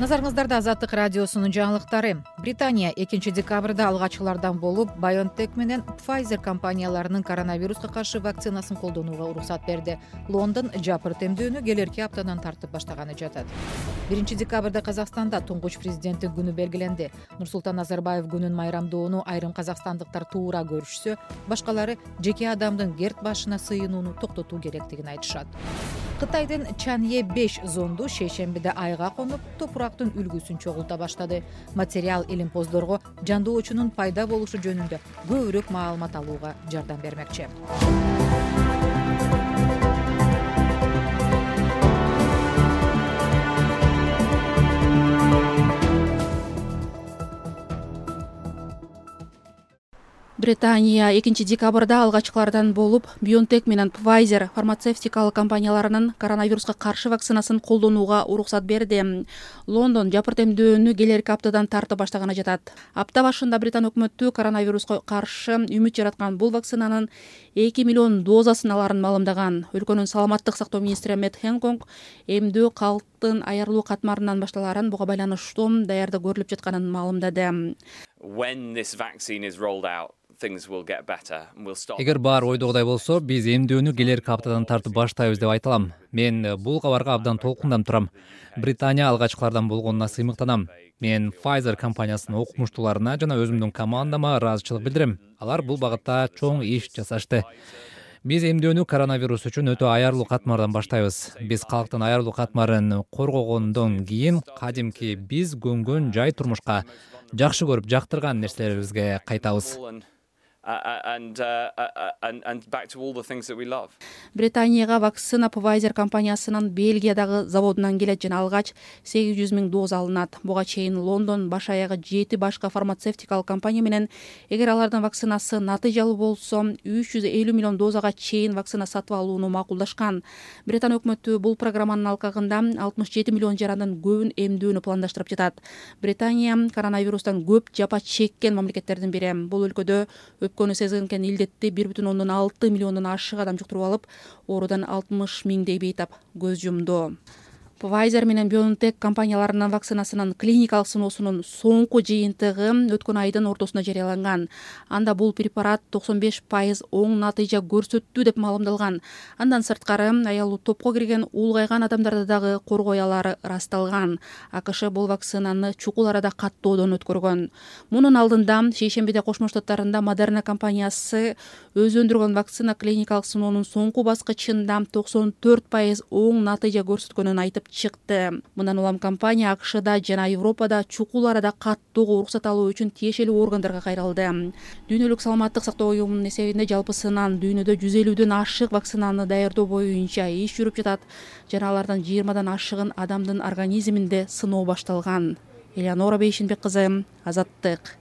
Назарыңыздарда Азаттык радиосунун жаңылыктары. Британия 2 декабрда алгачкылардан болуп, BioNTech менен Pfizer компанияларынын коронавируска каршы вакцинасын колдонууга уруксат берди. Лондон жапыр темдөөнү келерки аптадан тартып баштаганы жатат. 1 декабрда Казакстанда туңгуч президенттин күнү белгиленди. Нурсултан Назарбаев күнүн майрамдоону айрым казакстандыктар туура көрүшсө, башкалары жеке адамдын герт башына сыйынууну токтотуу керектигин айтышат. Кытайдын Чанъе 5 зонду шейшембиде айга конуп, топурактын үлгүсүн чогулта баштады. Материал илимпоздорго жандоочунун пайда болушу жөнүндө көбүрөөк маалымат алууга жардам бермекчи. Британия 2 декабрда алгачкылардан болуп, BioNTech менен Pfizer фармацевтикалык компанияларынын коронавируска каршы вакцинасын колдонууга уруксат берди. Лондон жапыр темдөөнү келерки аптадан тартып баштаганы жатат. Апта башында Британ өкмөтү коронавируска каршы үмүт жараткан бул вакцинанын 2 миллион дозасын аларын маалымдаган. Өлкөнүн саламаттык сактоо министри Мэтт Хэнкок эмдөө калктын аярылуу катмарынан башталарын, буга байланыштуу даярдык көрүлүп жатканын маалымдады. Эгер баары ойдогудай болсо, биз эмдөөнү келерки аптадан тартып баштайбыз деп айта алам. Мен бул кабарга абдан толкундап турам. Британия алгачкылардан болгонуна сыймыктанам. Мен Pfizer компаниясынын окумуштууларына жана өзүмдүн командама ыраазычылык билдирем. Алар бул багытта чоң иш жасашты. Биз эмдөөнү коронавирус үчүн өтө аярлуу катмардан баштайбыз. Биз калктын аярлуу катмарын коргогондон кийин кадимки биз көнгөн жай турмушка, жакшы көрүп жактырган нерселерибизге кайтабыз. Британияга вакцина Pfizer компаниясынын Бельгиядагы заводунан келет жана алгач 800 000 доза алынат. Буга чейин Лондон баш аягы 7 башка фармацевтикалык компания менен эгер алардын вакцинасы натыйжалуу болсо 350 миллион дозага чейин вакцина сатып алууну макулдашкан. Британ өкмөтү бул программанын алкагында 67 миллион жарандын көбүн эмдөөнү пландаштырып жатат. Британия коронавирустан көп жапа чеккен мамлекеттердин бири. Бул өлкөдө өпкөнү сезген илдетти 1,6 миллиондон ашык адам жуктуруп алып, оорудан 60 миңдей бейтап көз жумду. Pfizer менен BioNTech компанияларынын вакцинасынын клиникалык сыноосунун соңку жыйынтыгы өткөн айдын ортосунда жарыяланган. Анда бул препарат 95% оң натыйжа көрсөттү деп маалымдалган. Андан сырткары аялуу топко кирген улгайган адамдарда дагы коргой алары ырасталган. АКШ бул вакцинаны чукул арада каттоодон өткөргөн. Мунун алдында шейшембиде Кошмо Штаттарында Moderna компаниясы өзү өндүргөн вакцина клиникалык сыноонун соңку баскычында 94% оң натыйжа көрсөткөнүн айтып чыкты. Мындан улам компания АКШда жана Европада чукул арада каттоого уруксат алуу үчүн тиешелүү органдарга кайрылды. Дүйнөлүк саламаттык сактоо уюмунун эсебинде жалпысынан дүйнөдө 150дөн ашык вакцинаны даярдоо боюнча иш жүрүп жатат жана алардан 20дан ашыгын адамдын организминде сыноо башталган. Элеонора Бейшинбек кызы, Азаттык.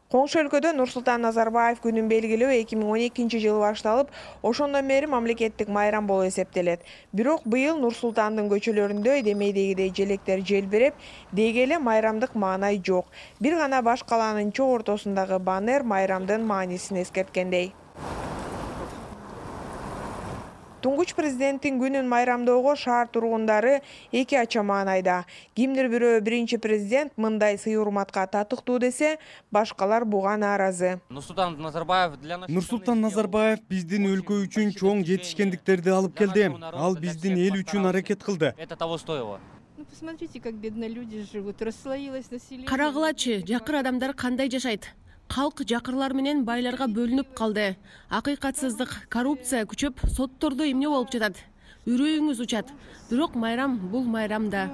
Коңшу өлкөдө Нурсултан Назарбаев күнүн белгилөө 2012 жылы башталып, ошондон бери мамлекеттик майрам болуп эсептелет. Бирок быйыл Нурсултандын көчөлөрүндө демейдегидей желектер желбиреп, деги эле майрамдык маанай жок. Бир гана баш калаанын чоо ортосундагы баннер майрамдын маанисин эскерткендей. Туңгуч президенттин күнүн майрамдоого шаар тургундары эки ача маанайда. Кимдир бирөө биринчи президент мындай сый-урматка татыктуу десе, башкалар буга нааразы. Нурсултан Назарбаев биздин өлкө үчүн чоң жетишкендиктерди алып келди. Ал биздин эл үчүн аракет кылды. Посмотрите, как бедные люди живут, расслоилось население. Карагылачы, жакыр адамдар кандай жашайт? Калк жакырлар менен байларга бөлүнүп калды. Акыйкатсыздык, коррупция күчөп, соттордо эмне болуп жатат? Үрөйүңүз учат. Бирок майрам бул майрамда.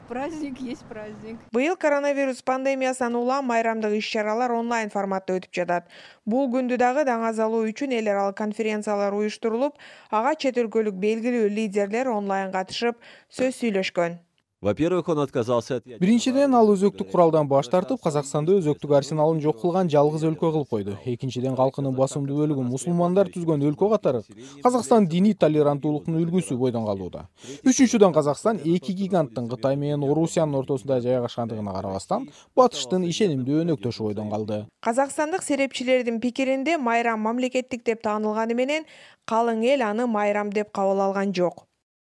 Праздник есть праздник. Быйыл коронавирус пандемиясынан улам майрамдык иш-чаралар онлайн форматта өтүп жатат. Бул күндү дагы даңазалоо үчүн эл аралык конференциялар уюштурулуп, ага чет өлкөлүк белгилүү лидерлер онлайн катышып, сөз сүйлөшкөн. Во-первых, он отказался от... Биринчиден, ал өзөктүк куралдан баш тартып, Казакстанды өзөктүк арсеналын жок кылган жалгыз өлкө кылып койду. Экинчиден, калкынын басымдуу бөлүгү мусулмандар түзгөн өлкө катары Казакстан диний толеранттуулуктун үлгүсү бойдон калууда. Үчүнчүдөн, Казакстан эки гиганттын Кытай менен Орусиянын ортосунда жайгашкандыгына карабастан, батыштын ишенимдүү өнөктөшү бойдон калды. Казакстандык серепчилердин пикиринде майрам мамлекеттик деп таанылганы менен, калың эл аны майрам деп кабыл алган жок.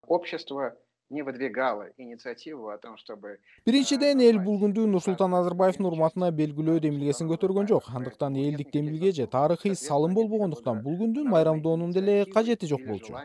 Общество не выдвигала инициативу о том, чтобы Биринчиден эл бул күндү Нурсултан Назарбаевдин урматына белгилөө демилгесин көтөргөн жок. Андыктан элдик демилге же тарыхый салым болбогондуктан бул күндүн майрамдоонун деле кажети жок болчу.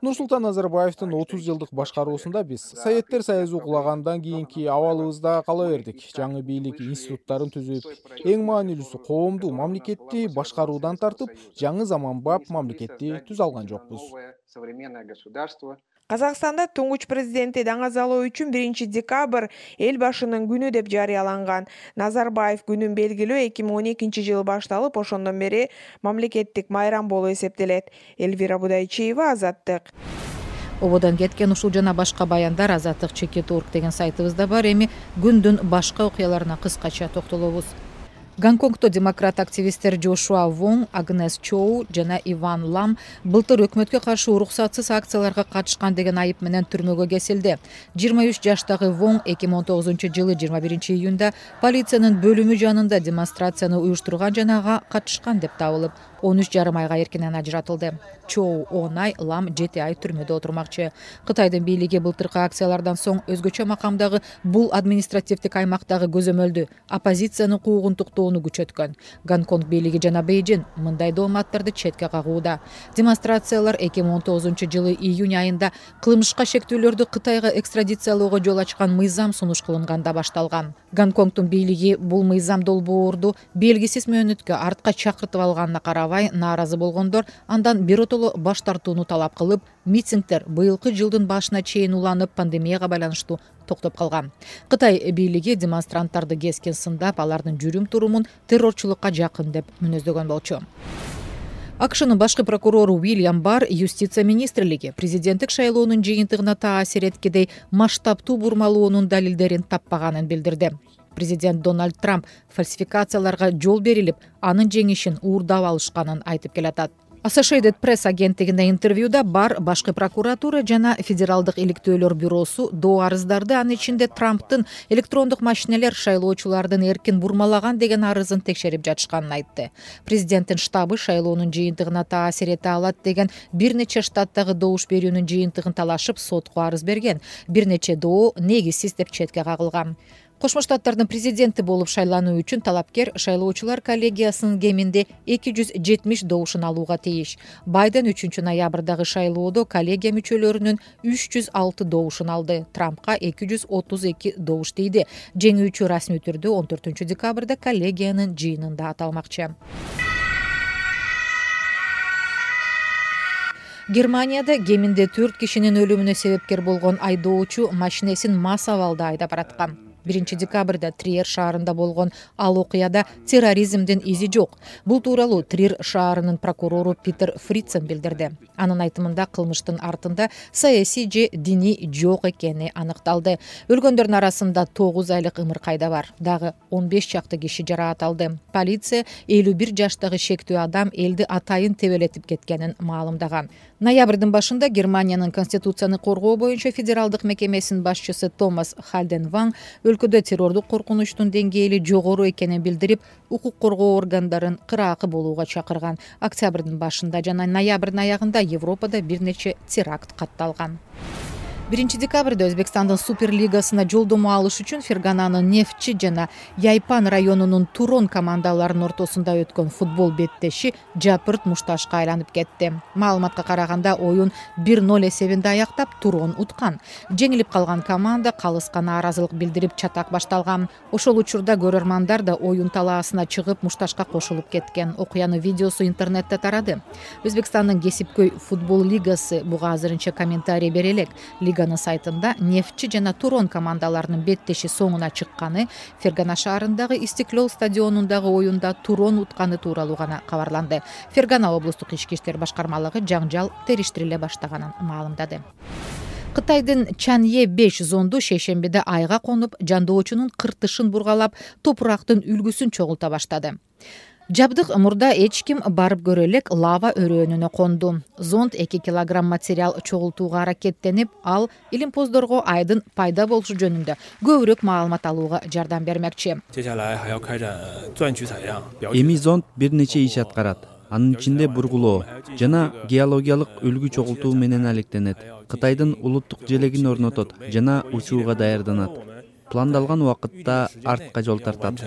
Нурсултан Назарбаевдин 30 жылдык башкаруусунда биз Советтер Союзу кулагандан кийинки абалыбызда кала бердик. Жаңы бийлик институттарын түзүп, эң маанилүүсү коомду, мамлекетти башкаруудан тартып, жаңы заманбап мамлекетти түзө алган жокпуз. современное государство. Казакстанда туңгуч президентти даңазалоо үчүн 1 декабрь эл башынын күнү деп жарыяланган. Назарбаев күнүн белгилөө 2012 жылы башталып, ошондон бери мамлекеттик майрам болуп эсептелет. Элвира Будайчиева, Азаттык. Ободон кеткен ушул жана башка баяндар azattik.org деген сайтыбызда бар. Эми күндүн башка окуяларына кыскача токтолобуз. Гонконгдо демократ активисттер Джошуа Вонг, Агнес Чоу жана Иван Лам былтыр өкмөткө каршы уруксатсыз акцияларга катышкан деген айып менен түрмөгө кесилди. 23 жаштагы Вонг 2019 жылы 21 июнда полициянын бөлүмү жанында демонстрацияны уюштурган жана ага катышкан деп табылып, 13,5 айга эркинен ажыратылды. Чоу 10 ай, Лам 7 ай түрмөдө отурмакчы. Кытайдын бийлиги былтыркы акциялардан соң өзгөчө макамдагы бул административдик аймактагы көзөмөлдү, оппозициянын куугун токтоону күчөткөн. Гонконг бийлиги жана Бейжин мындай дооматтарды четке кагууда. Демонстрациялар 2019 жылы июнь айында кылмышка шектүүлөрдү Кытайга экстрадициялоого жол ачкан мыйзам сунуш кылынганда башталган. Гонконгдун бийлиги бул мыйзам долбоорду белгисиз мөөнөткө артка чакыртып алганына карабай нааразы болгондор андан биротоло баш тартууну талап кылып, митингдер быйылкы жылдын башына чейин уланып, пандемияга байланыштуу токтоп калган. Кытай бийлиги демонстранттарды кескен сындап, алардын жүрүм-турумун террорчулукка жакын деп мүнөздөгөн болчу. АКШнын башкы прокурору Уильям Барр юстиция министрлиги президенттик шайлоонун жыйынтыгына таасир эткидей масштабтуу бурмалоонун далилдерин таппаганын билдирди. Президент Дональд Трамп фальсификацияларга жол берилип, анын жеңишин уурдап алышканын айтып келатат. Associated Press агенттигине интервьюда Барр башкы прокуратура жана федералдык иликтөөлөр бюросу доо арыздарды, анын ичинде Трамптын электрондук машинелер шайлоочулардын эркин бурмалаган деген арызын текшерип жатышканын айтты. Президенттин штабы шайлоонун жыйынтыгына таасир эте алат деген бир нече штаттагы добуш берүүнүн жыйынтыгын талашып сотко арыз берген. Бир нече доо негизсиз деп четке кагылган. Кошмо Штаттардын президенти болуп шайлануу үчүн талапкер шайлоочулар коллегиясынын кеминде 270 добушун алууга тийиш. Байден 3 ноябрдагы шайлоодо коллегия мүчөлөрүнүн 306 добушун алды. Трампка 232 добуш тийди. Жеңүүчү расмий түрдө 14 декабрда коллегиянын жыйынында аталмакчы. Германияда кеминде 4 кишинин өлүмүнө себепкер болгон айдоочу машинесин мас абалда айдап бараткан. 1 декабрда Триер шаарында болгон ал окуяда терроризмдин изи жок. Бул тууралуу Триер шаарынын прокурору Питер Фрицен билдирди. Анын айтымында кылмыштын артында саясий же диний жок экени аныкталды. Өлгөндөрдүн арасында 9 айлык ымыркайда бар. Дагы 15 чакты киши жараат алды. Полиция 51 жаштагы шектүү адам элди атайын тебелетип кеткенин маалымдаган. Ноябрдын башында Германиянын конституцияны коргоо боюнча федералдык мекемесинин башчысы Томас Хальденванг өлкөдө террордук коркунучтун деңгээли жогору экенин билдирип, укук коргоо органдарын кыраакы болууга чакырган. Октябрдын башында жана ноябрдын аягында Европада бир нече теракт катталган. 1 декабрда Өзбекстандын Суперлигасына жолдомо алыш үчүн Фергананын Нефтчи жана Яйпан районунун Турон командаларынын ортосунда өткөн футбол беттеши жапырт мушташка айланып кетти. Маалыматка караганда оюн 1-0 эсебинде аяктап Турон уткан. Жеңилип калган команда калыска нааразылык билдирип чатак башталган. Ошол учурда көрөрмандар да оюн талаасына чыгып мушташка кошулуп кеткен. Окуянын видеосу интернетте тарады. Өзбекстандын кесипкөй футбол лигасы буга азырынча комментарий бере элек. Лиганын сайтында Нефтчи жана Турон командаларынын беттеши соңуна чыкканы, Фергана шаарындагы Истиклол стадионундагы оюнда Турон утканы тууралуу гана кабарланды. Фергана облустук ички иштер башкармалыгы жаңжал териштириле баштаганын маалымдады. Кытайдын Чанъе 5 зонду шейшембиде айга конуп, жандоочунун кыртышын бургалап, топурактын үлгүсүн чогулта баштады. Жабдык мурда эч ким барып көрө элек лава өрөөнүнө конду. Зонд 2 килограмм материал чогултууга аракеттенип, ал илимпоздорго айдын пайда болушу жөнүндө көбүрөөк маалымат алууга жардам бермекчи. Эми зонд бир нече иш аткарат. анын ичинде бургулоо жана геологиялык өлгү чогултуу менен алектенет. Кытайдын улуттук желегин орнотот жана учууга даярданат. Пландалган убакытта артка жол тартат.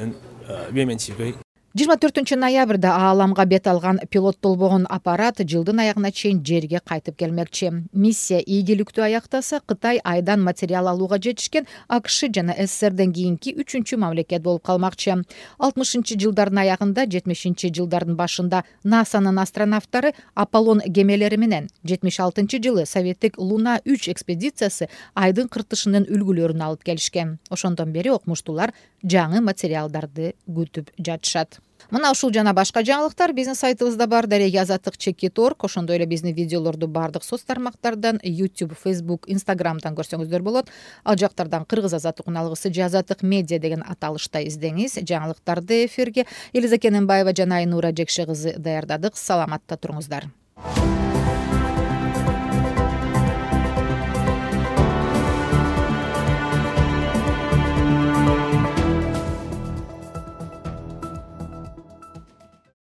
24 ноябрда ааламга бет алган пилоттолбогон аппарат жылдын аягына чейин жерге кайтып келмекчи. Миссия ийгиликтүү аяктаса, Кытай айдан материал алууга жетишкен АКШ жана СССРден кийинки 3-чү мамлекет болуп калмакчы. 60-жылдардын аягында, 70-жылдардын башында НАСАнын астронавттары Аполлон кемелери менен 76-жылы советтик Луна 3 экспедициясы айдын кыртышынын үлгүлөрүн алып келишкен. Ошондон бери окумуштуулар жаңы материалдарды күтүп жатышат. Мына ушул жана башка жаңылыктар биздин сайтыбызда бар. Дареги Азаттык.org. Ошондой эле биздин видеолорду бардык соц тармактардан, YouTube, Facebook, Instagram'дан көрсөңүздөр болот. Ал жактардан Кыргыз Азаттык уналгысы же Азаттык медиа деген аталышта издеңиз. Жаңылыктарды эфирге Элиза Кененбаева жана Айнура Жекше кызы даярдадык. Саламатта туруңуздар.